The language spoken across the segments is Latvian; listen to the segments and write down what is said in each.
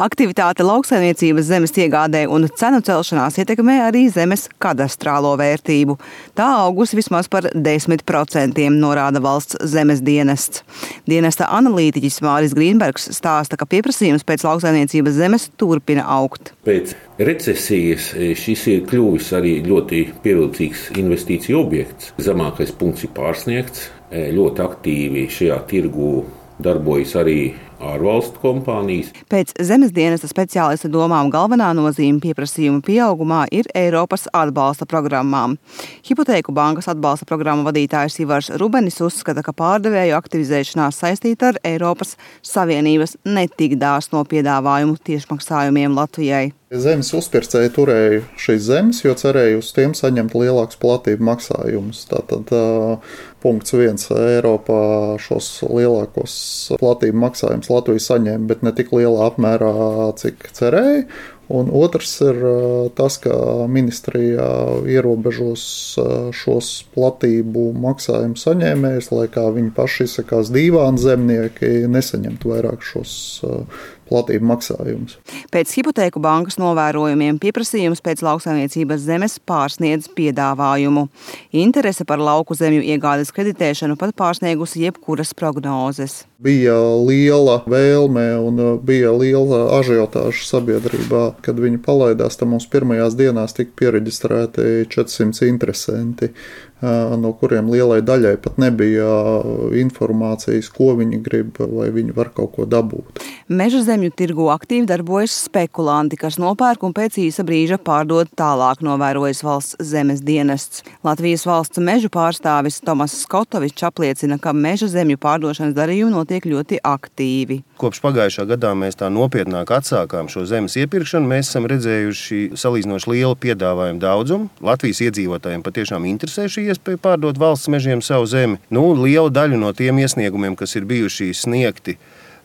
Aktivitāte lauksaimniecības zemes iegādē un cenu celšanās ietekmē arī zemes kadastrālo vērtību. Tā augusi vismaz par 10%, norāda valsts zemes dienests. Dienesta analītiķis Māris Grīnbergs stāsta, ka pieprasījums pēc lauksaimniecības zemes turpina augt. Pēc recesijas šis ir kļuvis arī ļoti pievilcīgs investīciju objekts. Zemākais punkts ir pārsniegts. Ļoti aktīvi šajā tirgū darbojas arī ārvalstu kompānijas. Pēc zemes dienesta speciālista domām galvenā nozīme pieprasījuma pieaugumā ir Eiropas atbalsta programmām. Hipotēku bankas atbalsta programmu vadītājs Ivars Rubenis uzskata, ka pārdevēju aktivizēšanās saistīta ar Eiropas Savienības netik dāsno piedāvājumu tiešmaksājumiem Latvijai. Zemes uzpircēji turēja šīs zemes, jo cerēja uz tiem saņemt lielākus platību maksājumus. Tātad punkts 1 Eiropā šos lielākos platību maksājumus Latvija saņēma, bet ne tik lielā apmērā, cik cerēja. Un otrs ir tas, ka ministrijā ierobežos šos platību maksājumu saņēmējus, lai kā viņi paši izsakās dīvāni zemnieki, nesaņemtu vairāk šos platību maksājumus. Pēc hipotēku bankas novērojumiem pieprasījums pēc lauksaimniecības zemes pārsniedz piedāvājumu. Interese par lauku zemju iegādes kreditēšanu pat pārsniegusi jebkuras prognozes. Bija liela vēlme un bija liela ažiotāža sabiedrībā. Kad viņi palaidās, tad mums pirmajās dienās tika piereģistrēti 400 interesanti, no kuriem lielai daļai pat nebija informācijas, ko viņi grib vai viņi var kaut ko dabūt. Meža zemju tirgu aktīvi darbojas spekulanti, kas nopērk un pēc īsa brīža pārdod tālāk, novērojas valsts zemes dienests. Latvijas valsts mežu pārstāvis Tomas Skotovičs apliecina, ka meža zemju pārdošanas darījumi notiek ļoti aktīvi. Kopš pagājušā gadā mēs tā nopietnāk atsākām šo zemes iepirkšanu. Mēs esam redzējuši salīdzinoši lielu piedāvājumu daudzumu. Latvijas iedzīvotājiem patiešām interesē šī iespēja pārdot valsts mežiem savu zemi. Liela daļa no tiem iesniegumiem, kas ir bijuši sniegti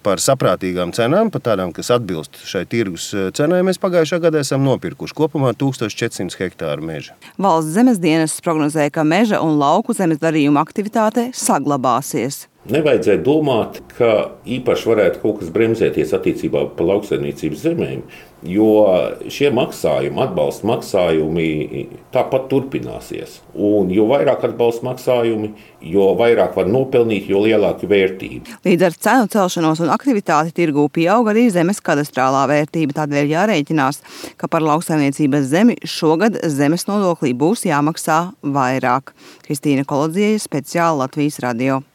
par saprātīgām cenām, par tādām, kas atbilst šai tirgus cenai, mēs pagājušā gadā esam nopirkuši kopumā 1400 hektāru meža. Valsts zemes dienests prognozē, ka meža un lauku zemes darījuma aktivitāte saglabāsies. Nevajadzētu domāt, ka īpaši varētu kaut kas bremzēties attiecībā par lauksaimniecības zemēm, jo šie maksājumi, atbalsta maksājumi tāpat turpināsies. Un jo vairāk atbalsta maksājumi, jo vairāk var nopelnīt, jo lielāka vērtība. Līdz ar cenu celšanos un aktivitāti tirgū pieaug arī zemes kadastrālā vērtība. Tādēļ jārēķinās, ka par lauksaimniecības zemi šogad zemes nodoklī būs jāmaksā vairāk. Kristīna Kolodziejs, speciāli Latvijas radio.